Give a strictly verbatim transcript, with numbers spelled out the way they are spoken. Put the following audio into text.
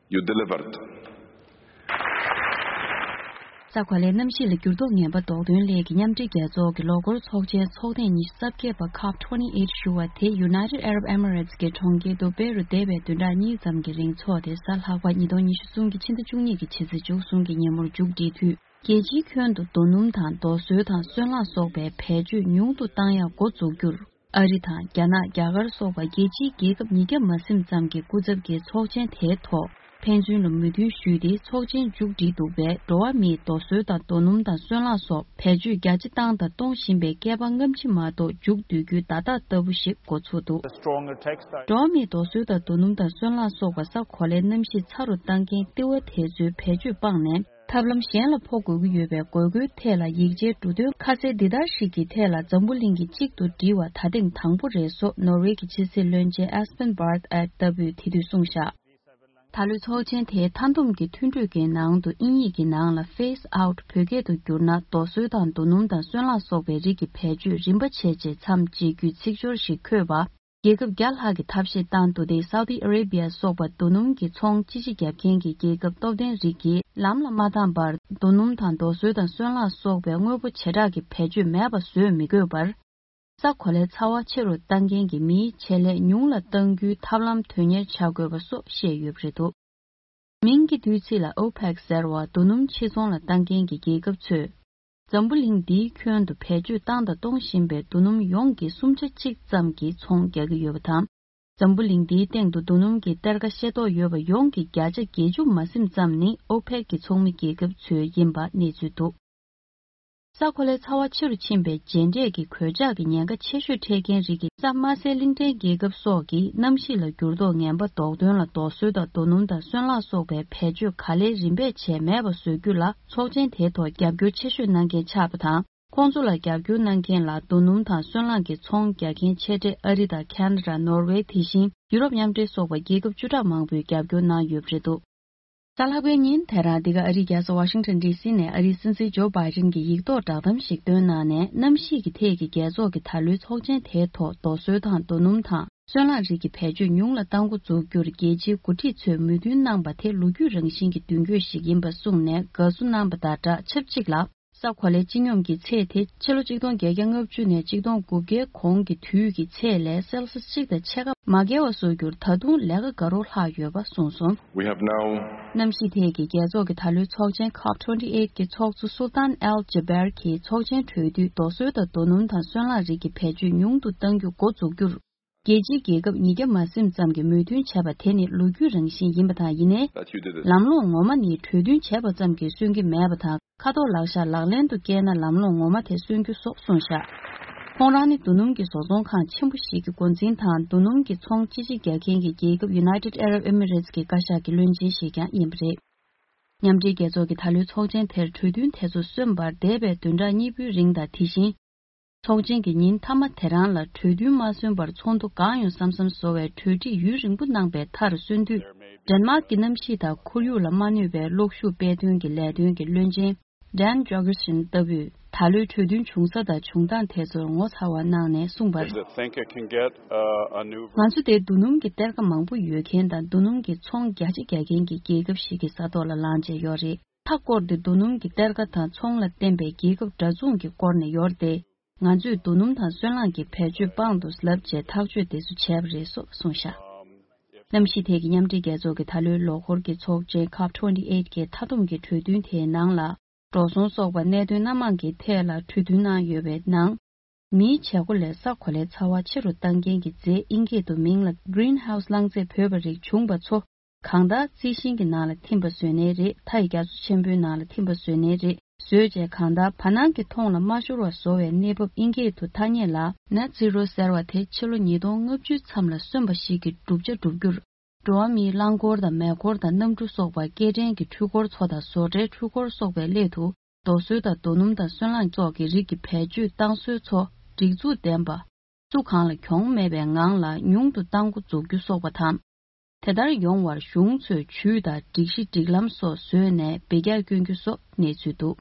You delivered. ས་གོ་ལའི་གནམ་གཤིས་ལ་འགྱུར་ལྡོག་ངན་པ་ཟློག་དོན་སླད་ཀྱི་མཉམ་འབྲེལ་རྒྱལ་ཚོགས་ཀྱི་ལོ་འཁོར་ཚོགས་ཆེན་ཚོགས་ཐེངས་ཉི་ཤུ་རྩ་བརྒྱད་པ་ཁོབ་ཊུ་ཝེན་ཊི་ཨེཊ་ཞུ་བ་དེ་United Arab Emirates གྱི་གྲོང་ཁྱེར་དུ་བེ་རུ་འདས་པའི་བདུན་ཕྲག་གཉིས་ཙམ་གྱི་རིང་འཚོགས་ཏེ། གཟའ་ལྷག་པ་ཉིས་སྟོང་ཉི་ཤུ་རྩ་གསུམ་གྱི་ཕྱི་ཟླ་བཅུ་གཉིས་ཀྱི་ཕྱི་ཚེས་བཅུ་གསུམ་གྱི་ཉིན་མོར་མཇུག་བསྒྲིལ་དུས། རྒྱལ་སྤྱིའི་ཁྱོན་དུ་རྡོ་སྣུམ་དང་རྡོ་སོལ་དང་སོལ་རླངས་སོགས་པའི་བེད་སྤྱོད་ཉུང་དུ་བཏང་ཡག་འགོ་འཛུགས་རྒྱུར། ཨ་རི་དང་རྒྱ་ནག་རྒྱ་གར་སོགས་པ་རྒྱལ་སྤྱིའི་རྒྱལ་ཁབ་ཉིས་བརྒྱ་མ་ཟིན་ཙམ་གྱི་སྐུ་ཚབ་ཀྱིས་ཚོགས་ཆེན་དེའི་ཐོག་ཕན་ཚུན་ལ་མོས་མཐུན་ཞུས་ཏེ། ཚོགས་ཆེན་མཇུག་བསྒྲིལ་འདུག་པས། འགྲོ་བ་མིས་རྡོ་སོལ་དང་རྡོ་སྣུམ་དང་སོལ་རླངས་སོགས་བེད་སྤྱོད་རྒྱ་ཆེ་བཏང་དང་གཏོང་བཞིན་པའི་བསྐལ་པ་སྔ་ཕྱི་མ་གཏོགས་མཇུག་བསྡུ་རྒྱུའི་བརྡ་རྟགས་ལྟ་བུ་ཞིག་འགོ་ཚུགས་འདུག་འགྲོ་བ་མིས་རྡོ་སོལ་དང་རྡོ་སྣུམ་དང་སོལ་རླངས་སོགས་པ་ས་གོ་ལའི་གནམ་གཤིས་ཚ་རུ་བཏང་མཁན་ལྟེ་བ་དེ་ཚོའི་བེད་སྤྱོད་སྤངས་ནས། ཐབས་ལམ་གཞན་ལ་འཕོ་དགོས་ཀྱི་ཡོད་པའི་དགོས་མཁོའི་ཐད་ལ་ཡིག་ཆའི་འབྲུ་དོན་ཁ་གསལ་འདི་ལྟར་ཞིག་གི་ཐད་ལ་འཛམ་བུ་གླིང་གི་གཅིག་ཏུ་སྒྲིལ་བ་ད་ཐེངས་དང་པོ་རེད། སོགས་ནོར་ཝེ་གི་ཕྱི་སྲིད་བློན་ཆེན་ཨེ་སི་པན་བྷར་ཨེ་ལྟ་བུས་དེ་དུས་གསུངས་བཞག་ད་ལོའི་ཚོགས་ཆེན་དེའི་མཐའ་བསྡོམས་ཀྱི་མཐུན་གྲོས་ཀྱི་ནང་དུ་དབྱིན་ཡིག་གི་ནང་ལ་Phase Out བོད་སྐད་དུ་བསྒྱུར་ན་རྡོ་སོལ་དང་རྡོ་སྣུམ་དང་སོལ་རླངས་སོགས་པའི་རིགས་ཀྱི་བེད་སྤྱོད་རིམ་པ་བྱས་རྗེས་མཚམས་བཅད་རྒྱུའི་ཚིག་སྦྱོར་ཞིག་འཁོད་པ། རྒྱལ་ཁབ་བརྒྱ་ལྷག་གིས་ཐབས་ཤེས་བཏང་འདུག་སྟེ། སའུ་ཏི་ཨ་རེ་བྷི་ཡ་སོགས་པ་རྡོ་སྣུམ་གྱི་ཚོང་ཅི་ཆེ་བརྒྱབ་མཁན་གྱི་རྒྱལ་ཁབ་སྟོབས་ལྡན་རིགས་ཀྱིས་ལམ་ལ་མ་བཏང་བར་རྡོ་སྣུམ་དང་རྡོ་སོལ་དང་སོལ་རླངས་སོགས་པའི་དངོས་པོ་བྱེ་བྲག་གི་བེད་སྤྱོད་མེད་པ་བཟོས་མི་དགོས་པར། ས་གོ་ལའི་ཚ་བ་ཆེ་རུ་གཏང་མཁན་གྱི་མིའི་ཆེད་ལས་ཉུང་ལ་གཏང་རྒྱུའི་ཐབས་ལམ་དོན་གཉེར་བྱ་དགོས་པ་སོགས་བཤད་ཡོད་པ་རེད་འདུག་མིང་གི་བསྡུས་ཚིག་ལ་ཨོ་པེག་ཟེར་བ་རྡོ་སྣུམ་ཕྱིར་ཚོང་ལ་གཏང་མཁན་གྱི་རྒྱལ་ཁབ་ཚོས། འཛམ་བུ་གླིང་འདིའི་ཁྱོན་དུ་བེད་སྤྱོད་བཏང་དང་གཏོང་བཞིན་པའི་རྡོ་སྣུམ་ཡོངས་ཀྱི་གསུམ་ཆ་གཅིག་ཙམ་གྱི་ཚོང་རྒྱག་གི་ཡོད་པ་དང་། འཛམ་བུ་གླིང་འདིའི་སྟེང་དུ་རྡོ་སྣུམ་གྱི་གཏེར་ཁ་ཤེས་རྟོགས་ཡོད་པ་ཡོངས་ཀྱི་བརྒྱ་ཆ་བརྒྱད་ཅུ་མ་ཟིན་ཙམ་ནི་ཨོ་པེག་གི་ཚོགས་མི་རྒྱལ་ཁབ་ཚོའི་ཡིན་པ་གནས་ཚུལ་འདུག་ས་གོ་ལའི་ཚ་བ་ཆེ་རུ་ཕྱིན་པའི་རྗེས་འབྲས་ཀྱི་གོད་ཆག་གི་ཉེན་ཁ་ཆེ་ཤོས་འཕྲད་མཁན་རིགས་ཀྱི་ས་དམའ་སའི་གླིང་ཕྲན་རྒྱལ་ཁབ་སོགས་ཀྱིས་གནམ་གཤིས་ལ་འགྱུར་ལྡོག་ངན་པ་ཟློག་དོན་ལ་རྡོ་སོལ་དང་རྡོ་སྣུམ་དང་སོལ་རླངས་སོགས་པའི་བེད་སྤྱོད་ག་ལེར་རིམ་པས་བྱས་མེད་པ་བཟོ་རྒྱུ་ལ་ཚོགས་ཆེན་དེའི་ཐོག་རྒྱབ་སྐྱོར་ཆེ་ཤོས་གནང་མཁན་ཆགས་པ་དང་། ཁོང་ཚོ་ལ་རྒྱབ་སྐྱོར་གནང་མཁན་ལ་རྡོ་སྣུམ་དང་སོལ་རླངས་ཀྱི་ཚོང་རྒྱག་མཁན་ཆེ་གྲས་ཨ་རི་དང་ཁ་ན་ཌ། ནོར་ཝེ། དེ་བཞིན་ཡུ་རོབ་མཉམ་འབྲེལ་སོགས་པ་རྒྱལ་ཁབ་བཅུ་ཕྲག་མང་པོས་རྒྱབ་སྐྱོར་གནང་ཡོད་པ་རེད་འདུག་གཟའ་ལྷག་པའི་ཉིན་དེ་རང་འདི་ག་ཨ་རིའི་རྒྱལ་ས་ཝ་ཤིང་ཊོན་ཌི་སི་ནས་ཨ་རིའི་སྲིད་འཛིན་ཇོ་བྷའི་ཌེན་གྱིས་ཡིག་ཐོག་བསྒྲགས་གཏམ་ཞིག་བཏོན་གནང་ནས། གནམ་གཤིས་ཀྱི་ཐད་ཀྱི་རྒྱལ་ཚོགས་ཀྱི་ད་ལོའི་ཚོགས་ཆེན་དེའི་ཐོག་རྡོ་སོལ་དང་རྡོ་སྣུམ་དང་སོལ་རླངས་རིགས་ཀྱི་བེད་སྤྱོད་ཉུང་ལ་གཏང་འགོ་འཛུགས་རྒྱུར་རྒྱལ་སྤྱིའི་འགོ་ཁྲིད་ཚོས་མོས་མཐུན་གནང་པ་དེ་ལོ་རྒྱུས་རང་བཞིན་གྱི་མདུན་སྐྱོད་ཞིག་ཡིན་པ་གསུངས་ནས་དགའ་བསུ་གནང་པ་དང་སྦྲགས། ཆབས་ཅིག་ལ། ས་གོ་ལའི་སྤྱི་སྙོམས་ཀྱི་ཚད་དེ་ཕྱི་ལོ་ཆིག་སྟོང་བརྒྱད་བརྒྱ་ལྔ་བཅུ་ནས་ཆིག་སྟོང་དགུ་བརྒྱའི་གོང་གི་དུས་ཀྱི་ཚད་ལས་སེལ་སི་གཅིག་དང་ཕྱེད་ཀ་མ་བརྒལ་བ་བཟོ་རྒྱུར་ད་དུང་ལས་ཀ་དགའ་རབ་ལྷག་ཡོད་པ་གསུངས་སོང་། We have now གནམ་གཤིས་ཐད་ཀྱི་རྒྱལ་ཚོགས་ཀྱི་ད་ལོའི་ཚོགས་ཆེན་ཁོབ་ཊུ་ཝེན་ཊི་ཨེཊ་ཀྱི་ཚོགས་གཙོ་སུལ་ཏཱན་ཨེལ་ཇེ་བེར་གྱིས་ཚོགས་ཆེན་གྲོལ་དུས་རྡོ་སོལ་དང་རྡོ་སྣུམ་དང་སོལ་རླངས་རིགས་ཀྱི་བེད་སྤྱོད་ཉུང་དུ་གཏང་རྒྱུ་འགོ་འཛུགས་རྒྱུར། རྒྱལ་སྤྱིའི་རྒྱལ་ཁབ་ཉིས་བརྒྱ་མ་ཟིན་ཙམ་གྱིས་མོས་མཐུན་བྱས་པ་དེ་ནི་ལོ་རྒྱུས་རང་བཞིན་ཡིན་པ་དང་། ཡིན་ནའི། That you did it. ལམ་ལྷོང་ངོ་མ་ནི་གྲོས་མཐུན་བྱས་པ་ཙམ་གྱིས་སོན་གྱི་མེད་པ་དང་། ཁ་ཐོག་ལག་བཞག་ལག་ལེན་དུ་བསྐྱལ་ན་ལམ་ལྷོང་ངོ་མ་དེ་སོན་རྒྱུ་སོགས་གསུངས་བཞག་ཁོང་རང་ནི་རྡོ་སྣུམ་གྱི་བཟོ་ཚོང་ཁང་ཆེན་པོ་ཞིག་གི་འགོ་འཛིན་དང་། རྡོ་སྣུམ་གྱི་ཚོང་སྤྱི་ཆིངས་རྒྱག་མཁན་གྱི་རྒྱལ་ཁབ་United Arab Emirates གྱི་བཀའ་ཤག་གི་བློན་ཆེན་ཞིག་ཀྱང་ཡིན་པ་རེད། མཉམ་འབྲེལ་རྒྱལ་ཚོགས་ཀྱི་ད་ལོའི་ཚོགས་ཆེན་དེར་གྲོས་མཐུན་དེ་ཚོ་སོན་པར་འདས་པའི་བདུན་ཕྲག་གཉིས་པོའི་རིང་དང་། དེ་བཞིན། ཚོགས་ཆེན་གྱི་ཉིན་མཐའ་མ་དེ་རང་ལ་གྲོས་མཐུན་མ་སོན་པར་ཚོགས་འདུ་གང་ཡོང་བསམ་བསམ་བཟོ་བའི་གྲོས་འགྲིག་ཡུན་རིང་པོ་གནང་པའི་མཐར་སོན་དུས། ཌེན་མཱག་གི་གནམ་གཤིས་དང་ཁོར་ཡུག་ལ་མ་གནོད་པའི་གློག་ཤུགས་དཔེ་སྟོན་གྱི་ལས་དོན་གྱི་བློན་ཆེན་ཌན་ཇོ་གེར་སན་ལྟ་བུས་ད་ལོའི་གྲོས་མཐུན་བྱུང་ས་དང་བྱུང་སྟངས་དེ་ཚོར་ངོ་མཚར་བ་གནང་ནས་གསུངས་པར། There's a thing I can get, uh, a new ང་ཚོ་དེ་རྡོ་སྣུམ་གྱི་གཏེར་ཁ་མང་པོ་ཡོད་མཁན་དང་། རྡོ་སྣུམ་གྱི་ཚོང་རྒྱ་ཆེ་རྒྱག་མཁན་གྱི་རྒྱལ་ཁབ་ཞིག་གི་ས་ཐོག་ལ་ལངས་བྱས་ཡོད་རེད། མཐའ་བསྐོར་ཏེ་རྡོ་སྣུམ་གྱི་གཏེར་ཁ་དང་ཚོང་ལ་བརྟེན་པའི་རྒྱལ་ཁབ་འདྲ་མཚུངས་ཀྱི་སྐོར་ནས་ཡོད་དེ། ང་ཚོས་རྡོ་སྣུམ་དང་སོལ་རླངས་ཀྱི་བེད་སྤྱོད་སྤང་འདུག་ལབ་བྱས་ཐག་གཅོད་དེ་ཚོ་བྱས་པ་རེད་སོགས་གསུངས་བཞག་གནམ་གཤིས་ཐད་ཀྱི་མཉམ་འབྲེལ་རྒྱལ་ཚོགས་ཀྱི་ད་ལོའི་ལོ་འཁོར་གྱི་ཚོགས་ཆེན་ཁོབ་ཊུ་ཝེན་ཊི་ཨེཊ་གི་མཐའ་བསྡོམས་ཀྱི་གྲོས་མཐུན་དེའི་ནང་ལ། འགྲོ་སོང་སོགས་པ་གནད་དོན་སྣ་མང་གི་ཐད་ལ་གྲོས་མཐུན་གནང་ཡོད་པའི་ནང་། མིའི་བྱེད་སྒོ་ལས་ས་གོ་ལའི་ཚ་བ་ཆེ་རུ་གཏང་མཁན་གྱི་རྫས། དབྱིན་སྐད་དུ་མིང་ལ་Greenhouse རླངས་རྫས་བོས་པ་རིགས་བྱུང་བ་ཚོ། གང་ལྟར་རྩི་ཤིང་གི་ནང་ལ་ཐིམ་པ་བཟོས་ནའི་རེད། མཐའ་ཡི་རྒྱ་མཚོ་ཆེན་པོའི་ནང་ལ་ཐིམ་པ་བཟོས་ནའི་རེད། བཟོས་རྗེས་གང་ལྟར་བར་སྣང་གི་མཐོངས་ལ་མ་ཤོར་བ་བཟོ་བའི་གནས་བབ། དབྱིན་སྐད་དུ་ཐ་སྙད་ལ་Net Zero ཟེར་བ་དེ་ཕྱི་ལོ་ཉིས་སྟོང་ལྔ་བཅུའི་མཚམས་ལ་སོན་པ་ཞིག་གི་བསྒྲུབ་བྱ་བསྒྲུབ་རྒྱུར། འགྲོ་བ་མིའི་རླངས་འཁོར་དང་མེ་འཁོར་དང་གནམ་གྲུ་སོགས་པ། སྐྱེལ་འདྲེན་གྱི་འཕྲུལ་འཁོར་ཚོ་དང་བཟོ་གྲྭའི་འཕྲུལ་འཁོར་སོགས་པའི་སླད་དུ། རྡོ་སོལ་དང་རྡོ་སྣུམ་དང་སོལ་རླངས་སོགས་ཀྱི་རིགས་ཀྱི་བེད་སྤྱོད་གཏང་སྲོལ་ཚོ་སྒྲིག་འཛུགས་ལྡན་པ། སུ་གང་ལ་གྱོང་མེད་པའི་ངང་ལ་ཉུང་དུ་གཏང་འགོ་འཛུགས་རྒྱུ་སོགས་པ་དང་། དེ་ལྟར་ཡོང་བར་གཞུང་ཚོས་ཇུས་དང་སྒྲིག་གཞི་སྒྲིག་ལམ་སོགས་བཟོས་ནས་འབུད་རྒྱག་བསྐྱོན་རྒྱུ་སོགས་གནས་ཚུལ་འདུག